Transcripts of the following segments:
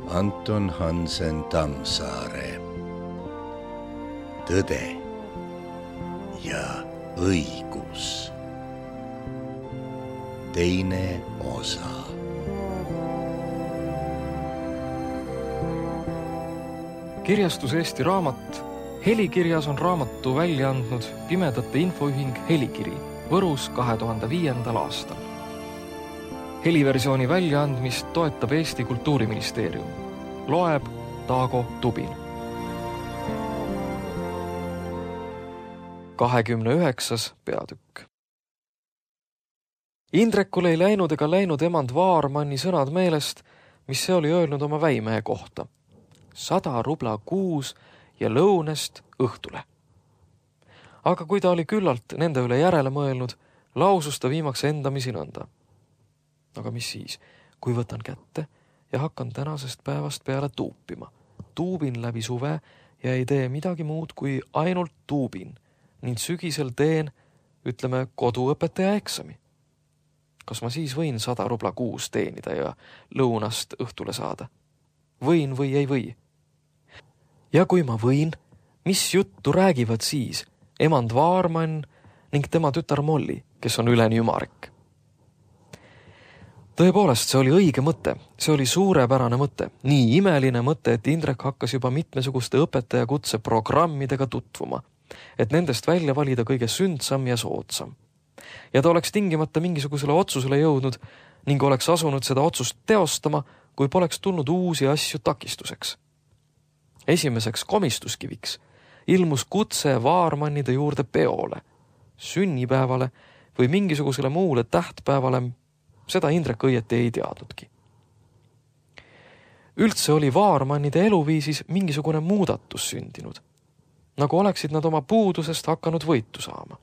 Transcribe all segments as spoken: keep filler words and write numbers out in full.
Anton Hansen Tammsaare. Tõde ja õigus. Teine osa. Kirjastus Eesti Raamat. Helikirjas on raamatu välja andnud Pimedate Infoühing Helikiri Võrus kahe tuhande viiendal aastal. Heliversiooni väljaandmist toetab Eesti Kultuuriministeerium. Loeb Taago Tubin. kahekümne üheksas peatükk. Indrekul ei läinud ega läinud emand Vaarmanni sõnad meelest, mis see oli öelnud oma väimehe kohta. Sada rubla kuus ja lõunest õhtule. Aga kui ta oli küllalt nende üle järele mõelnud, lausus ta viimaks endamisi nõnda. Aga mis siis, kui võtan kätte ja hakkan tänasest päevast peale tuupima. Tuubin läbi suve ja ei tee midagi muud kui ainult tuubin ning sügisel teen, ütleme, koduõpetaja eksami. Kas ma siis võin sada rubla kuus teenida ja lõunast õhtule saada? Võin või ei või? Ja kui ma võin, mis juttu räägivad siis emand Vaarmann ning tema tütar Molli, kes on üleni ümarek? Tõepoolest, see oli õige mõte, see oli suurepärane mõte, nii imeline mõte, et Indrek hakkas juba mitmesuguste õpetajakutse programmidega tutvuma, et nendest välja valida kõige sündsam ja soodsam. Ja ta oleks tingimata mingisugusele otsusele jõudnud ning oleks asunud seda otsust teostama, kui poleks tulnud uusi asju takistuseks. Esimeseks komistuskiviks ilmus kutse Vaarmannide juurde peole, sünnipäevale või mingisugusele muule tähtpäevale, seda Indrek õieti ei teadnudki. Üldse oli Vaarmannide eluviisis mingisugune muudatus sündinud, nagu oleksid nad oma puudusest hakanud võitu saama.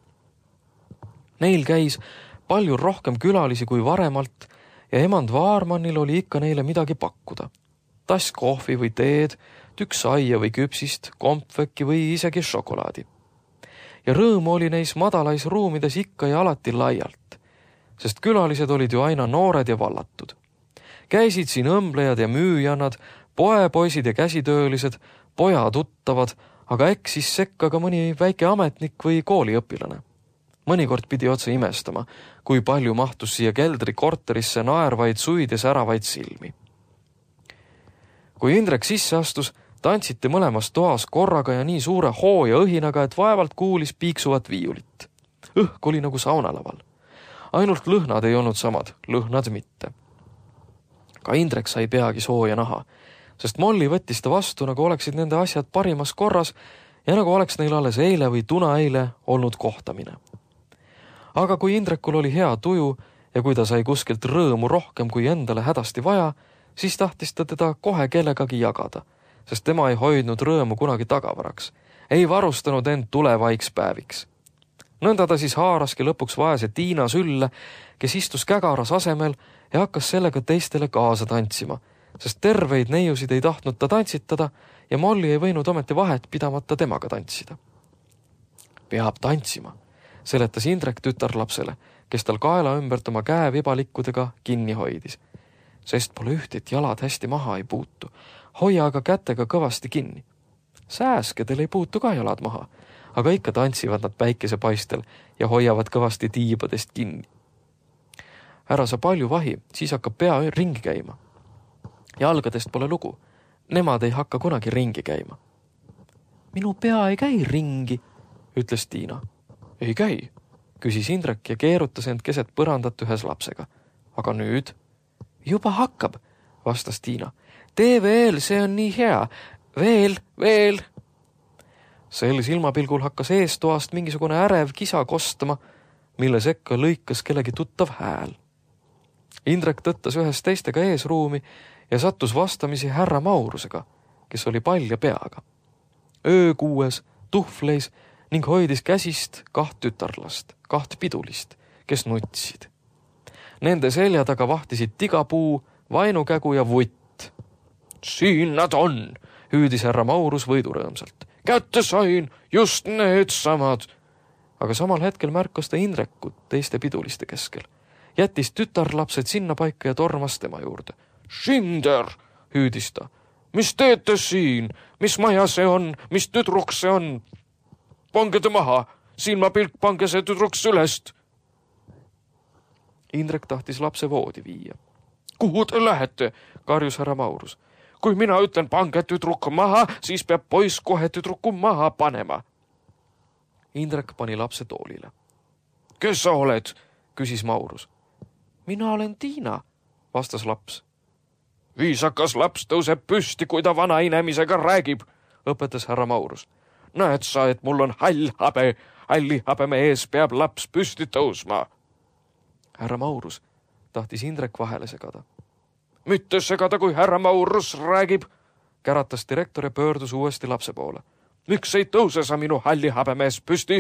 Neil käis palju rohkem külalisi kui varemalt ja emand Vaarmannil oli ikka neile midagi pakkuda. Tass kohvi või teed, tükk saia või küpsist, kompvekki või isegi šokolaadi. Ja rõõm oli neis madalais ruumides ikka ja alati laialt, sest külalised olid ju aina noored ja vallatud. Käisid siin õmblejad ja müüjannad, poepoisid ja käsitöölised, poja tuttavad, aga eksis sekka ka mõni väike ametnik või kooliõpilane. Mõnikord pidi otse imestama, kui palju mahtus siia keldri korterisse naervaid suid ja säravaid silmi. Kui Indrek sisse astus, tantsiti mõlemas toas korraga ja nii suure hoo ja õhinaga, et vaevalt kuulis piiksuvat viiulit. Õhk oli nagu saunalaval. Ainult lõhnad ei olnud samad, lõhnad mitte. Ka Indrek sai peagi sooja naha, sest Molli võttis ta vastu, nagu oleksid nende asjad parimas korras ja nagu oleks neil alles eile või tuna eile olnud kohtamine. Aga kui Indrekul oli hea tuju ja kui ta sai kuskilt rõõmu rohkem kui endale hädasti vaja, siis tahtis ta teda kohe kellegagi jagada, sest tema ei hoidnud rõõmu kunagi tagavaraks, ei varustanud end tulevaiks päeviks. Nõnda ta siis haaraski lõpuks vaese Tiina sülle, kes istus kägaras asemel ja hakkas sellega teistele kaasa tantsima, sest terveid neiusid ei tahtnud ta tantsitada ja Molli ei võinud ometi vahet pidamata temaga tantsida. Peab tantsima, seletas Indrek tütarlapsele, kes tal kaela ümbert oma käe vibalikkudega kinni hoidis. Sest pole üht, et jalad hästi maha ei puutu. Hoia aga kätega kõvasti kinni. Sääskedel ei puutu ka jalad maha, aga ikka tantsivad nad päikesepaistel ja hoiavad kõvasti tiibadest kinni. Ära sa palju vahi, siis hakkab pea ringi käima. Jalgadest pole lugu. Nemad ei hakka kunagi ringi käima. Minu pea ei käi ringi, ütles Tiina. Ei käi, küsis Indrek ja keerutas end keset põrandat ühes lapsega. Aga nüüd? Juba hakkab, vastas Tiina. Tee veel, see on nii hea. Veel, veel. Sel silmapilgul hakkas eestoast mingisugune ärev kisa kostama, mille sekka lõikas kellegi tuttav hääl. Indrek tõttas ühes teistega eesruumi ja sattus vastamisi härra Maurusega, kes oli palja peaga. Öökuues, tuhvleis ning hoidis käsist kaht tütarlast, kaht pidulist, kes nutsid. Nende selja taga vahtisid tigapuu, vainukägu ja vutt. Siin nad on, hüüdis härra Maurus võidurõõmsalt. Kätte sain, just need samad. Aga samal hetkel märkas ta Indrekut teiste piduliste keskel. Jättis tütarlapsed sinna paika ja tormas tema juurde. Šinder, hüüdis ta. mis teete siin? Mis maja see on? Mis tüdruk see on? Pange ta maha, silmapilk, pange see tüdruks ülest. Indrek tahtis lapse voodi viia. Kuhu te lähete? Karjus härra Maurus. Kui mina ütlen pange tüdruk maha, siis peab poiss kohe tüdruku maha panema. Indrek pani lapse toolile. Kes sa oled? Küsis Maurus. Mina olen Tiina, vastas laps. Viisakas laps tõuseb püsti, kui ta vana inemisega räägib, õpetas härra Maurus. Näed sa, et mul on hall habe, halli habeme ees peab laps püsti tõusma. Härra Maurus tahtis Indrek vahele segada. Mitte segada, kui härra Maurus räägib, käratas direktor ja pöördus uuesti lapse poole. Miks ei tõuse sa minu halli habemees püsti?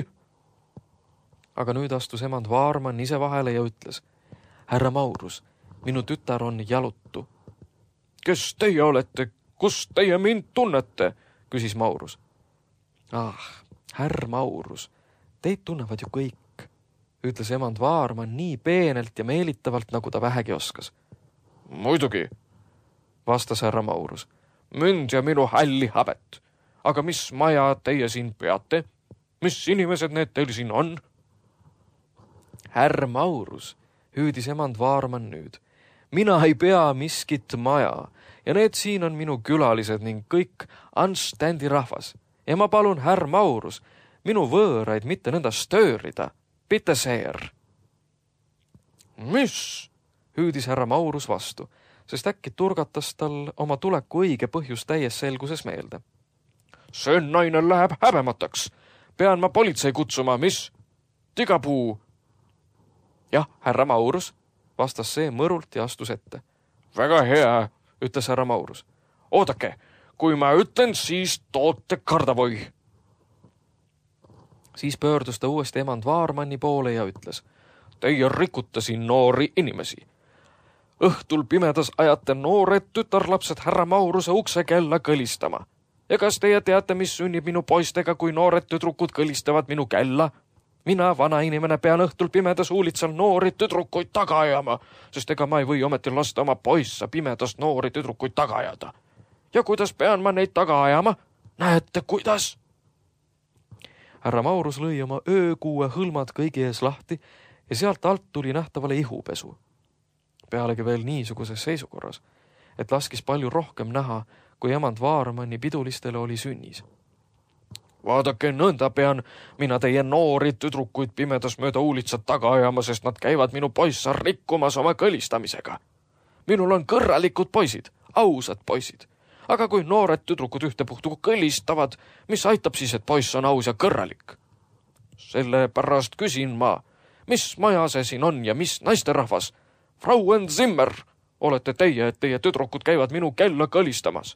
Aga nüüd astus emand Vaarman ise vahele ja ütles. Härra Maurus, minu tütar on jalutu. Kes teie olete? Kus teie mind tunnete? Küsis Maurus. Ah, härr Maurus, teid tunnevad ju kõik, ütles emand Vaarman nii peenelt ja meelitavalt, nagu ta vähegi oskas. Muidugi, vastas härra Maurus. Mind ja minu halli habet. Aga mis maja teie siin peate? Mis inimesed need teil siin on? Härr Maurus, hüüdis emand Vaarman nüüd. Mina ei pea miskit maja ja need siin on minu külalised ning kõik anständi rahvas. Ja ma palun, härr Maurus, minu võõraid mitte nõnda stöörida. Bitte sehr. Mis? Hüüdis härra Maurus vastu, sest äkki turgatas tal oma tuleku õige põhjus täies selguses meelde. See naine läheb häbemataks. Pean ma politsei kutsuma, mis? Tigapuu. Jah, härra Maurus, vastas see mõrult ja astus ette. Väga hea, ütles härra Maurus. Oodake, kui ma ütlen, siis toote kardavoi. Siis pöördus ta uuesti emand Vaarmanni poole ja ütles. Teie rikute siin noori inimesi. Õhtul pimedas ajate noored tütarlapsed härra Mauruse ukse kella kõlistama. Ja kas teie teate, mis sünnib minu poistega, kui noored tüdrukud kõlistavad minu kella? Mina, vana inimene, pean õhtul pimedas uulitsal noori tüdrukuid taga ajama, sest ega ma ei või ometi lasta oma poissa pimedas noori tüdrukuid taga ajada. Ja kuidas pean ma neid taga ajama? Näete, kuidas? Härra Maurus lõi oma öökuue hõlmad kõigi ees lahti ja sealt alt tuli nähtavale ihupesu. Pealegi veel niisuguses seisukorras, et laskis palju rohkem näha, kui emand Vaarmanni pidulistele oli sünnis. Vaadake, nõnda pean mina teie noori tüdrukuid pimedas mööda uulitsat taga ajama, sest nad käivad minu poissa rikkumas oma kõlistamisega. Minul on kõrralikud poisid, ausad poisid. Aga kui noored tüdrukud ühtepuhtu kõlistavad, mis aitab siis, et poiss on aus ja kõrralik? Selle pärast küsin ma, mis maja see siin on ja mis naisterahvas? Frauen Zimmer, olete teie, et teie tüdrukud käivad minu kella kõlistamas.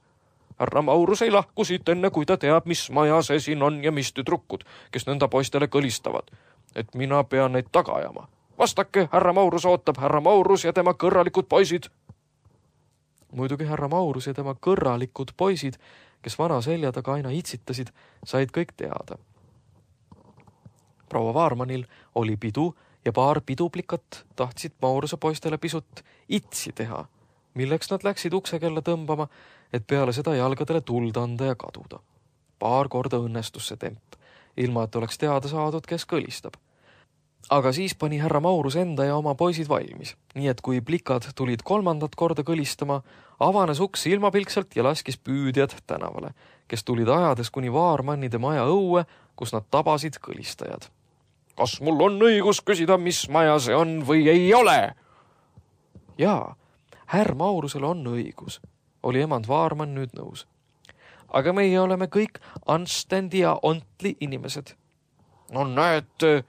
Härra Maurus ei lahku siit enne, kui ta teab, mis maja see siin on ja mis tüdrukud, kes nõnda poistele kõlistavad. Et mina pean neid taga ajama. Vastake, härra Maurus ootab, härra Maurus ja tema kõrralikud poisid. Muidugi härra Maurus ja tema kõrralikud poisid, kes vana selja taga aina itsitasid, said kõik teada. Proua Vaarmanil oli pidu ja paar piduplikat tahtsid Mauruse poistele pisut itsi teha, milleks nad läksid uksekella tõmbama, et peale seda jalgadele tuld anda ja kaduda. Paar korda õnnestus see temp, ilma et oleks teada saadud, kes kõlistab. Aga siis pani härra Maurus enda ja oma poisid valmis, nii et kui plikad tulid kolmandat korda kõlistama, avanes uks ilmapilkselt ja laskis püüdjad tänavale, kes tulid ajades kuni Vaarmannide maja õue, kus nad tabasid kõlistajad. Kas mul on õigus küsida, mis maja see on või ei ole? Jaa, härr Maurusel on õigus, oli emand Vaarmann nüüd nõus. Aga meie oleme kõik anständi ja ontli inimesed. No näete,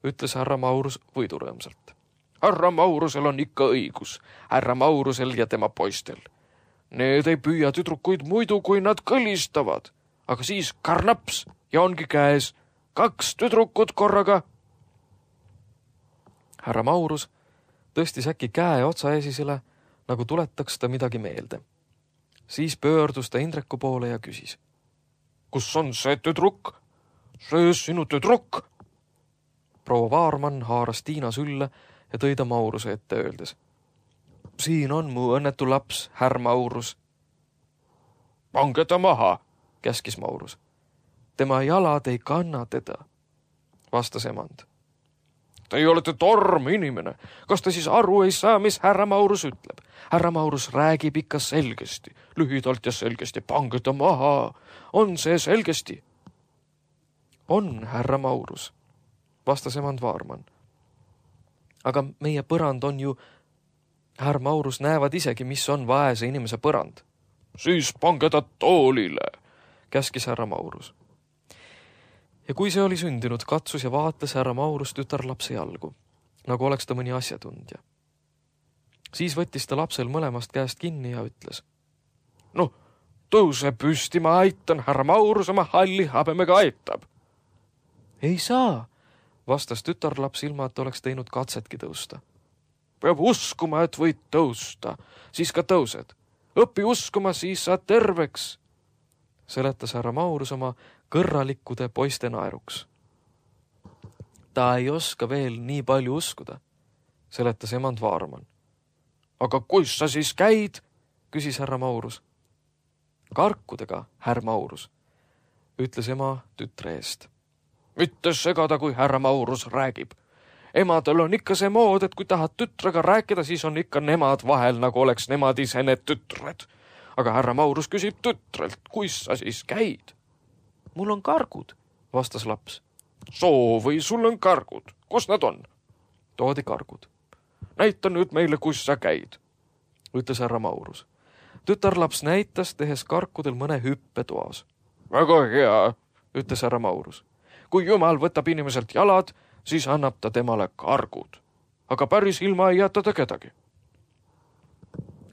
ütles härra Maurus võidurõõmsalt. Härra Maurusel on ikka õigus, härra Maurusel ja tema poistel. Need ei püüa tüdrukuid muidu, kui nad kõlistavad, aga siis karnaps ja ongi käes kaks tüdrukut korraga. Härra Maurus tõstis äkki käe otsaesisele, nagu tuletaks ta midagi meelde. Siis pöördus ta Indreku poole ja küsis. Kus on see tüdruk? See sinu tüdruk? Proua Vaarmann haaras Tiina sülle ja tõi ta Mauruse ette öeldes. Siin on mu õnnetu laps, härr Maurus. pange ta maha, käskis Maurus. Tema jalad ei kanna teda, vastas emand. Teie olete torm inimene. Kas te siis aru ei saa, mis härra Maurus ütleb? Härra Maurus räägib ikka selgesti, lühidalt ja selgesti. Pange ta maha. On see selgesti? On, härra Maurus, vastas emand Vaarman. Aga meie põrand on ju, härra Maurus näevad isegi, mis on vaese inimese põrand. Siis pange ta toolile, käskis härra Maurus. Ja kui see oli sündinud, katsus ja vaatles härra Maurus tütarlapse jalgu, nagu oleks ta mõni asjatundja. Siis võttis ta lapsel mõlemast käest kinni ja ütles. No, tõuse püsti, ma aitan, härra Maurus oma halli habemega aitab. Ei saa, vastas tütarlaps ilma, et oleks teinud katsetki tõusta. Peab uskuma, et võid tõusta, siis ka tõused. Õpi uskuma, siis saad terveks, seletas härra Maurus oma kõrralikkude poiste naeruks. Ta ei oska veel nii palju uskuda, seletas emand Vaarman. Aga kus sa siis käid, küsis härra Maurus. Karkudega, härra Maurus, ütles ema tütre eest. Mitte segada, kui härra Maurus räägib. Emadel on ikka see mood, et kui tahad tütrega rääkida, siis on ikka nemad vahel, nagu oleks nemad ise need tütred. Aga härra Maurus küsib tütrelt, kus sa siis käid? Mul on kargud, vastas laps. Soo või sul on kargud? Kus nad on? Toodi kargud. Näita nüüd meile, kus sa käid, ütles härra Maurus. Tütarlaps näitas, tehes karkudel mõne hüppe toas. Väga hea, ütles härra Maurus. Kui Jumal võtab inimeselt jalad, siis annab ta temale kargud. Aga päris ilma ei jäta ta kedagi.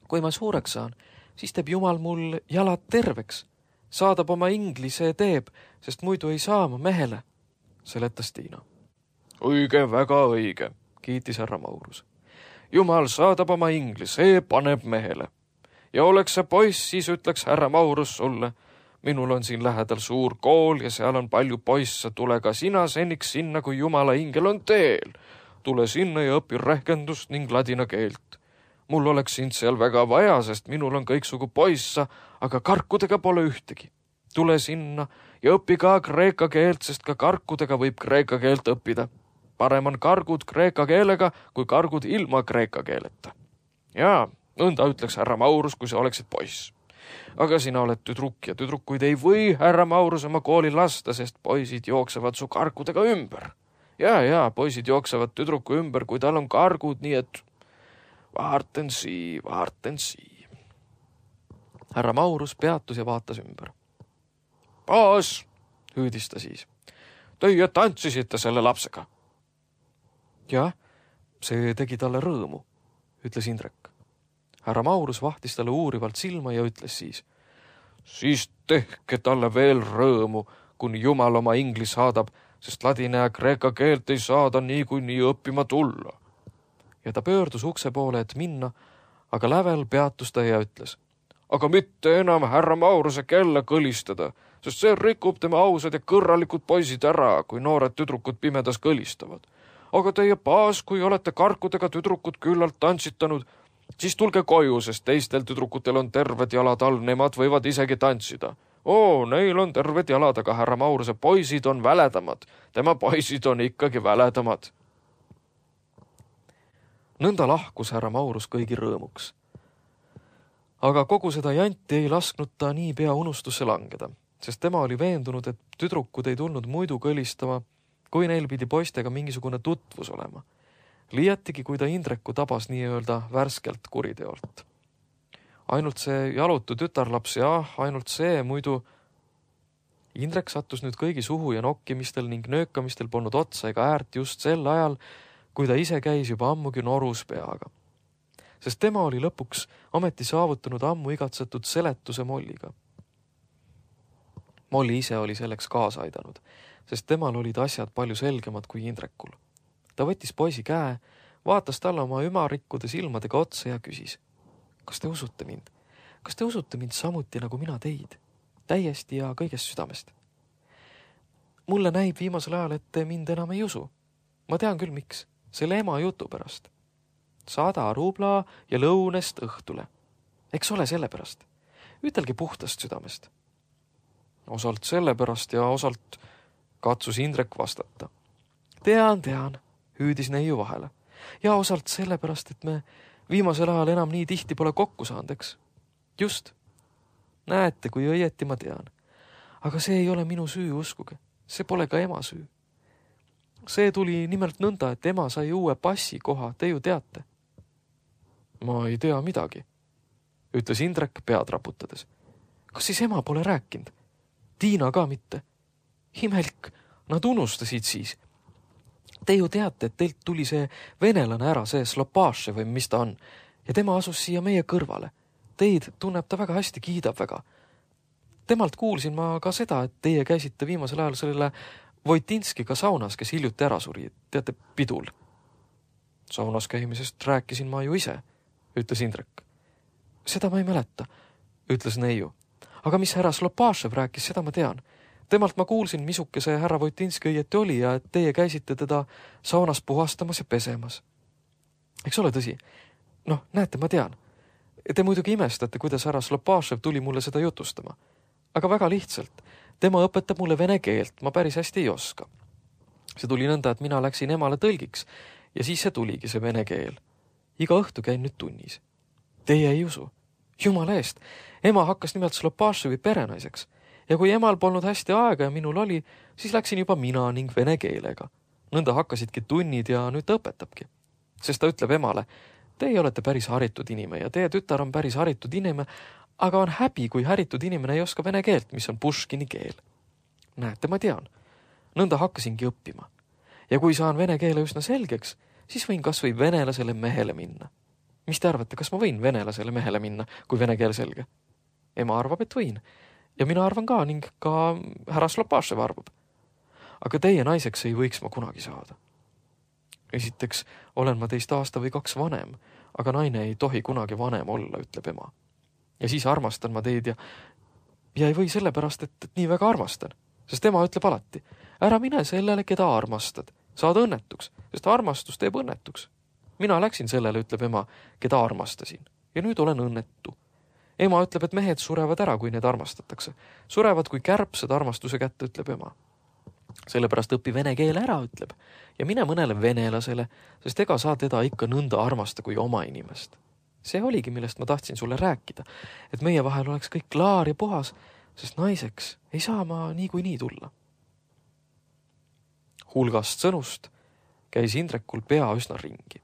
Kui ma suureks saan, siis teeb Jumal mul jalad terveks. Saadab oma ingli, see teeb, sest muidu ei saa ma mehele, seletas Tiina. Õige, väga õige, kiitis härra Maurus. Jumal saadab oma ingli, see paneb mehele. Ja oleks see poiss, siis ütleks härra Maurus sulle, minul on siin lähedal suur kool ja seal on palju poisse, tule ka sina seniks sinna, kui Jumala ingel on teel. Tule sinna ja õpi rehkendust ning ladina keelt. Mul oleks sind seal väga vaja, sest minul on kõiksugu poissa, aga karkudega pole ühtegi. Tule sinna ja õpi ka kreeka keelt, sest ka karkudega võib kreeka keelt õppida. Parem on kargud kreeka keelega, kui kargud ilma kreeka keeleta. Jaa, nõnda ütleks härra Maurus, kui sa oleksid poiss. Aga sina oled tüdruk ja tüdrukuid ei või härra Maurus oma kooli lasta, sest poisid jooksevad su karkudega ümber. Ja, ja, poisid jooksevad tüdruku ümber, kui tal on kargud, nii et vaarten sii, vaarten sii. Härra Maurus peatus ja vaatas ümber. Paas, hüüdis ta siis. Teie tantsisite selle lapsega. Jah, see tegi talle rõõmu, ütles Indrek. Härra Maurus vahtis talle uurivalt silma ja ütles siis. Siis tehke talle veel rõõmu, kuni Jumal oma ingli saadab, sest ladina ja kreeka keelt ei saada nii kui nii õppima tulla. Ja ta pöördus ukse poole, et minna, aga lävel peatus ta ja ütles. Aga mitte enam härra Mauruse kella kõlistada, sest see rikub tema ausad ja kõrralikud poisid ära, kui noored tüdrukud pimedas kõlistavad. Aga teie paas, kui olete karkudega tüdrukud küllalt tantsitanud, siis tulge koju, sest teistel tüdrukutel on terved jalad all, nemad võivad isegi tantsida. Oo, neil on terved jalad, aga härra Mauruse poisid on väledamad. Tema poisid on ikkagi väledamad. Nõnda lahkus härra Maurus kõigi rõõmuks. Aga kogu seda janti ei lasknud ta nii pea unustusse langeda, sest tema oli veendunud, et tüdrukud ei tulnud muidu kõlistama, kui neil pidi poistega mingisugune tutvus olema. Liiatigi, kui ta Indreku tabas nii-öelda värskelt kuriteolt. Ainult see jalutu tütarlaps ja ainult see, muidu Indrek sattus nüüd kõigi suhu ja nokkimistel ning nöökamistel polnud otsa ega äärt just sel ajal, kui ta ise käis juba ammugi norus peaga. Sest tema oli lõpuks ometi saavutanud ammu igatsetud seletuse Molliga. Molli ise oli selleks kaasa aidanud, sest temal olid asjad palju selgemad kui Indrekul. Ta võttis poisi käe, vaatas talle oma ümarikkude silmadega otsa ja küsis. Kas te usute mind? Kas te usute mind samuti nagu mina teid? Täiesti ja kõigest südamest. Mulle näib viimasel ajal, et te mind enam ei usu. Ma tean küll, miks. Selle ema jutu pärast. Sada rubla ja lõunest õhtule. Eks ole selle pärast. ütelge puhtast südamest. Osalt sellepärast ja osalt katsus Indrek vastata. Tean, tean, hüüdis neiu vahele. Ja osalt sellepärast, et me viimasel ajal enam nii tihti pole kokku saanud, eks? Just. Näete, kui õieti ma tean. Aga see ei ole minu süü, uskuge. See pole ka ema süü. See tuli nimelt nõnda, et ema sai uue passi koha, te ju teate. Ma ei tea midagi, ütles Indrek pead raputades. Kas siis ema pole rääkinud? Tiina ka mitte. Imelik, nad unustasid siis. Te ju teate, et teilt tuli see venelane ära, see Slopaaše või mis ta on, ja tema asus siia meie kõrvale. Teid tunneb ta väga hästi, kiidab väga. Temalt kuulsin ma ka seda, et teie käisite viimasel ajal sellele Voitinskiga saunas, kes hiljuti ära suri, teate, pidul. Saunas käimisest rääkisin ma ju ise, ütles Indrek. Seda ma ei mäleta, ütles neiu. Aga mis härra Slopaašev rääkis, seda ma tean. Temalt ma kuulsin, misuke see härra Voitinski õieti oli ja et teie käisite teda saunas puhastamas ja pesemas. Eks ole tõsi? Noh, näete, ma tean. Te muidugi imestate, kuidas härra Slopaašev tuli mulle seda jutustama. Aga väga lihtsalt. Tema õpetab mulle vene keelt, ma päris hästi ei oska. See tuli nõnda, et mina läksin emale tõlgiks ja siis see tuligi see vene keel. Iga õhtu käin nüüd tunnis. Teie ei usu. Jumala eest. Ema hakkas nimelt Slopaaševi perenaiseks. Ja kui emal polnud hästi aega ja minul oli, siis läksin juba mina ning vene keelega. Nõnda hakkasidki tunnid ja nüüd ta õpetabki. Sest ta ütleb emale, teie olete päris haritud inime ja teie tütar on päris haritud inime, aga on häbi, kui haritud inimene ei oska vene keelt, mis on Puškini keel. Näete, ma tean. Nõnda hakkasingi õppima. Ja kui saan vene keele üsna selgeks, siis võin kas või venelasele mehele minna. Mis te arvate, kas ma võin venelasele mehele minna, kui vene keel selge? Ema arvab, et võin. Ja mina arvan ka ning ka härra Slopaašev arvab. Aga teie naiseks ei võiks ma kunagi saada. Esiteks olen ma teist aasta või kaks vanem, aga naine ei tohi kunagi vanem olla, ütleb ema. Ja siis armastan ma teid ja, ja ei või sellepärast, et, et nii väga armastan. Sest ema ütleb alati, ära mine sellele, keda armastad. Saad õnnetuks, sest armastus teeb õnnetuks. Mina läksin sellele, ütleb ema, keda armastasin. Ja nüüd olen õnnetu. Ema ütleb, et mehed surevad ära, kui need armastatakse. Surevad kui kärbsed armastuse kätte, ütleb ema. Sellepärast õpi vene keele ära, ütleb. Ja mine mõnele venelasele, sest ega saa teda ikka nõnda armasta kui oma inimest. See oligi, millest ma tahtsin sulle rääkida, et meie vahel oleks kõik klaar ja puhas, sest naiseks ei saa ma nii kui nii tulla. Hulgast sõnust käis Indrekul pea üsna ringi.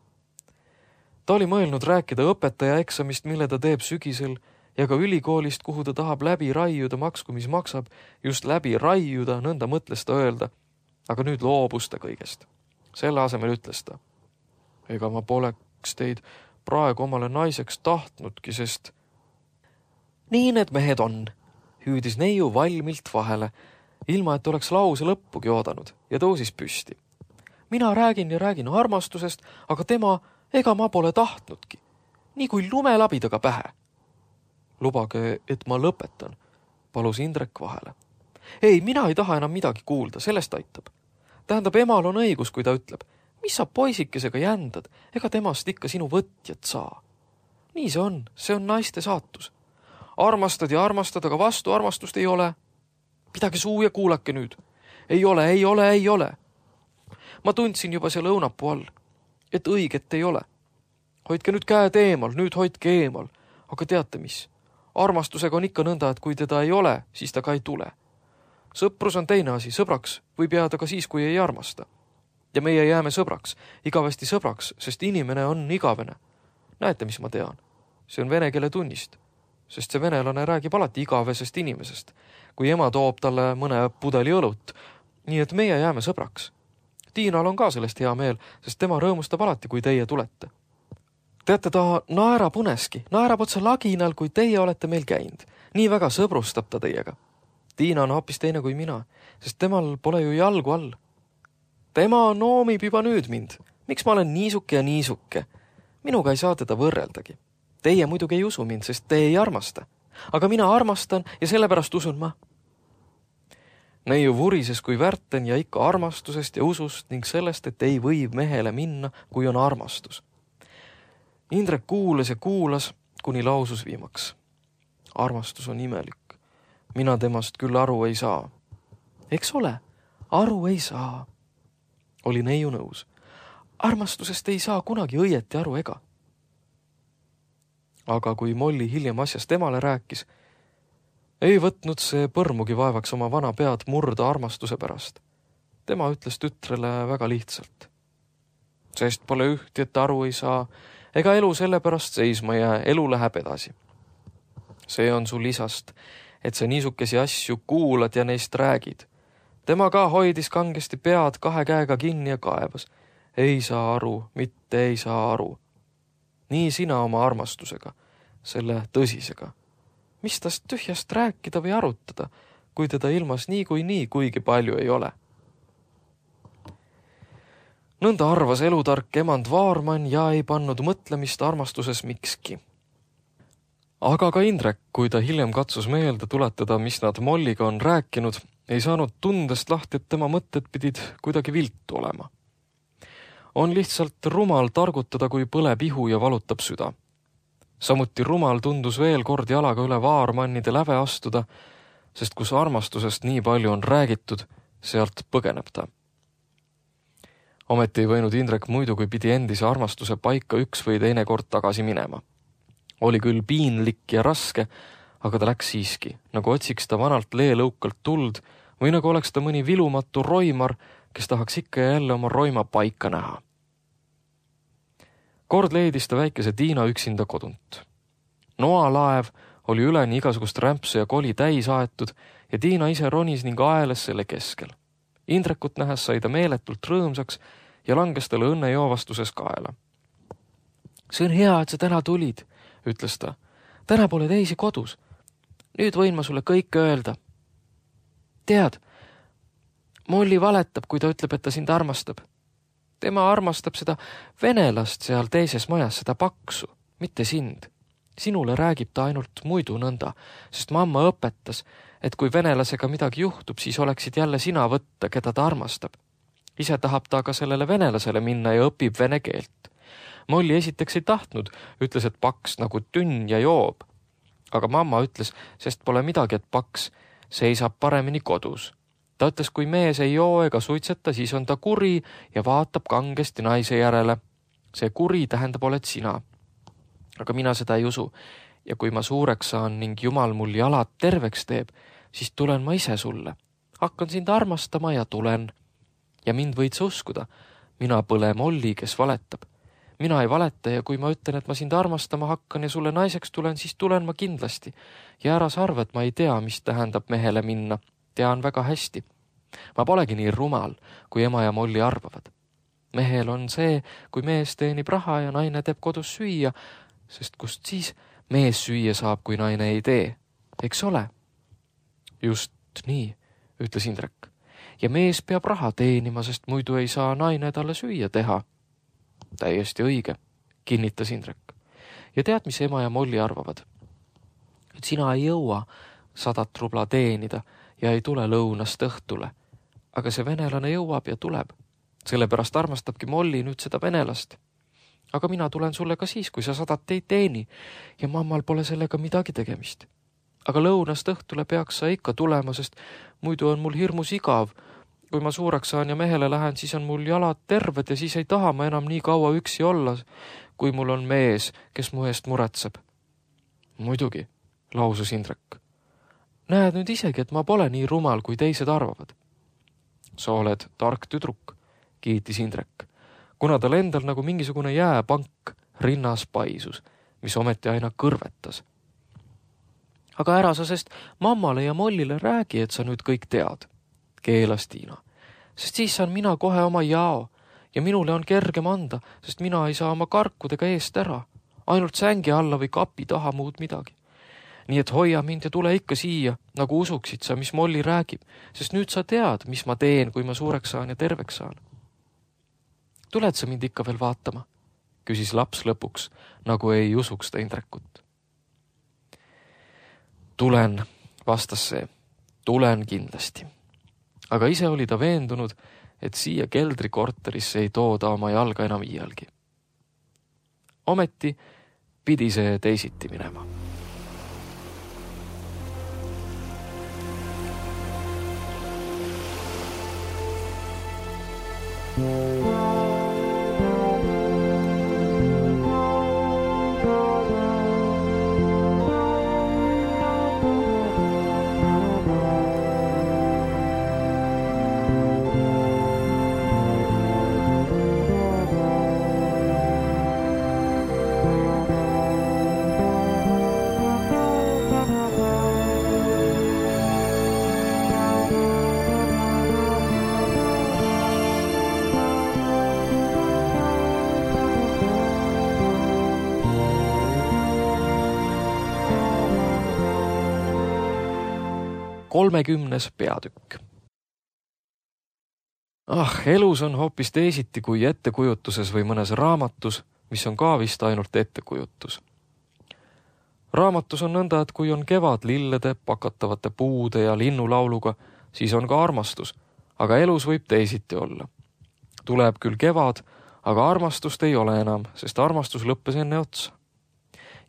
Ta oli mõelnud rääkida õpetaja eksamist, mille ta teeb sügisel, ja ka ülikoolist, kuhu ta tahab läbi raiuda, maksku mis maksab, just läbi raiuda, nõnda mõtles ta öelda, aga nüüd loobus ta kõigest. Selle asemel ütles ta, ega ma poleks teid praegu omale naiseks tahtnudki, sest nii need mehed on, hüüdis neiu valmilt vahele, ilma et oleks lause lõppugi oodanud ja tõusis püsti. Mina räägin ja räägin armastusest, aga tema, ega ma pole tahtnudki, nii kui lumelabidaga pähe. Lubage, et ma lõpetan, palus Indrek vahele. Ei, mina ei taha enam midagi kuulda, sellest aitab. Tähendab, emal on õigus, kui ta ütleb, mis sa poisikesega jändad, ega temast ikka sinu võtjat saa. Nii see on, see on naiste saatus. Armastad ja armastad, aga vastu armastust ei ole. Pidage suu ja kuulake nüüd. Ei ole, ei ole, ei ole. Ma tundsin juba seal õunapuu all, et õiget ei ole. Hoidke nüüd käed eemal, nüüd hoidke eemal. Aga teate mis? Armastusega on ikka nõnda, et kui teda ei ole, siis ta ka ei tule. Sõprus on teine asi, sõbraks võib jääda ka siis, kui ei armasta. Ja meie jääme sõbraks, igavesti sõbraks, sest inimene on igavene. Näete, mis ma tean? See on vene keele tunnist, sest see venelane räägib alati igavesest inimesest, kui ema toob talle mõne pudeli õlut, nii et meie jääme sõbraks. Tiinal on ka sellest hea meel, sest tema rõõmustab alati, kui teie tulete. Teate, ta naerab uneski, naerab otsa laginal, kui teie olete meil käinud. Nii väga sõbrustab ta teiega. Tiina on hoopis teine kui mina, sest temal pole ju jalgu all. Tema noomib juba nüüd mind. Miks ma olen niisuke ja niisuke? Minuga ei saa teda võrreldagi. Teie muidugi ei usu mind, sest te ei armasta. Aga mina armastan ja sellepärast usun ma. Neiu vurises kui värten ja ikka armastusest ja usust ning sellest, et ei või mehele minna, kui on armastus. Indrek kuulas ja kuulas, kuni lausus viimaks. armastus on imelik. Mina temast küll aru ei saa. Eks ole, aru ei saa. Oli neiu nõus. Armastusest ei saa kunagi õieti aru ega. Aga kui Molli hiljem asjast temale rääkis, ei võtnud see põrmugi vaevaks oma vana pead murda armastuse pärast. Tema ütles tütrele väga lihtsalt. Sest pole ühti, et aru ei saa, ega elu selle pärast seisma ja elu läheb edasi. See on sul isast, et sa niisukesi asju kuulad ja neist räägid. Tema ka hoidis kangesti pead kahe käega kinni ja kaevas. Ei saa aru, mitte ei saa aru. Nii sina oma armastusega, selle tõsisega. Mis tast tühjast rääkida või arutada, kui teda ilmas nii kui nii kuigi palju ei ole? Nõnda arvas elutark emand Vaarmann ja ei pannud mõtlemist armastuses mikski. Aga ka Indrek, kui ta hiljem katsus meelde tuletada, mis nad Molliga on rääkinud, ei saanud tundest lahti, et tema mõtted pidid kuidagi viltu olema. On lihtsalt rumal targutada, kui põleb ihu ja valutab süda. Samuti rumal tundus veel kord jalaga üle Vaarmannide läve astuda, sest kus armastusest nii palju on räägitud, sealt põgeneb ta. Ometi ei võinud Indrek muidu, kui pidi endise armastuse paika üks või teine kord tagasi minema. Oli küll piinlik ja raske, aga ta läks siiski, nagu otsiks ta vanalt leelõukalt tuld või nagu oleks ta mõni vilumatu roimar, kes tahaks ikka ja jälle oma roima paika näha. Kord leidis ta väikese Tiina üksinda kodunt. Noalaev oli üleni igasugust rämpsu ja koli täis aetud ja Tiina ise ronis ning aeles selle keskel. Indrekut nähes sai ta meeletult rõõmsaks ja langes talle õnnejoovastuses kaela. See on hea, et sa täna tulid, ütles ta. Täna pole teisi kodus. Nüüd võin ma sulle kõike öelda. Tead, Molli valetab, kui ta ütleb, et ta sind armastab. Tema armastab seda venelast seal teises majas, seda paksu, mitte sind. Sinule räägib ta ainult muidu nõnda, sest mamma õpetas, et kui venelasega midagi juhtub, siis oleksid jälle sina võtta, keda ta armastab. Ise tahab ta ka sellele venelasele minna ja õpib vene keelt. Molli esiteks ei tahtnud, ütles, et paks nagu tünn ja joob. Aga mamma ütles, sest pole midagi, et paks seisab paremini kodus. Ta ütles, kui mees ei joo ega suitseta, siis on ta kuri ja vaatab kangesti naise järele. See kuri tähendab, oled sina. Aga mina seda ei usu. Ja kui ma suureks saan ning Jumal mul jalad terveks teeb, siis tulen ma ise sulle. Hakkan sind armastama ja tulen. Ja mind võid sa uskuda. Mina pole Molli, kes valetab. Mina ei valeta ja kui ma ütlen, et ma sind armastama hakkan ja sulle naiseks tulen, siis tulen ma kindlasti. Ja ära sa arva, et ma ei tea, mis tähendab mehele minna. Tean väga hästi. Ma polegi nii rumal, kui ema ja Molli arvavad. Mehel on see, kui mees teenib raha ja naine teeb kodus süüa, sest kust siis mees süüa saab, kui naine ei tee. Eks ole? Just nii, ütles Indrek. Ja mees peab raha teenima, sest muidu ei saa naine talle süüa teha. Täiesti õige, kinnitas Indrek. Ja tead, mis ema ja Molli arvavad? Et sina ei jõua sadat rubla teenida ja ei tule lõunast õhtule. Aga see venelane jõuab ja tuleb. Sellepärast armastabki Molli nüüd seda venelast. Aga mina tulen sulle ka siis, kui sa sadat ei teeni ja mammal pole sellega midagi tegemist. Aga lõunast õhtule peaks sa ikka tulema, sest muidu on mul hirmus igav. Kui ma suureks saan ja mehele lähen, siis on mul jalad terved ja siis ei taha ma enam nii kaua üksi olla, kui mul on mees, kes mu eest muretseb. Muidugi, lausus Indrek. Näed nüüd isegi, et ma pole nii rumal, kui teised arvavad. Sa oled tark tüdruk, kiitis Indrek, kuna tal endal nagu mingisugune jääpank rinnas paisus, mis ometi aina kõrvetas. Aga ära sa sest mammale ja Mollile räägi, et sa nüüd kõik tead, keelas Tiina, sest siis saan mina kohe oma jao ja minule on kergem anda, sest mina ei saa oma karkudega eest ära, ainult sängi alla või kapi taha muud midagi. Nii et hoia mind ja tule ikka siia, nagu usuksid sa, mis Molli räägib, sest nüüd sa tead, mis ma teen, kui ma suureks saan ja terveks saan. Tuled sa mind ikka veel vaatama? Küsis laps lõpuks, nagu ei usuks ta Indrekut. Tulen, vastas see, tulen kindlasti. Aga ise oli ta veendunud, et siia keldrikorterisse ei tooda oma jalga enam iialgi. Ometi pidi see teisiti minema. kolmekümnes peatükk. Ah, elus on hoopis teisiti kui ettekujutuses või mõnes raamatus, mis on ka vist ainult ettekujutus. Raamatus on nõnda, et kui on kevad lillede, pakatavate puude ja linnulauluga, siis on ka armastus, aga elus võib teisiti olla. Tuleb küll kevad, aga armastust ei ole enam, sest armastus lõppes enne otsa.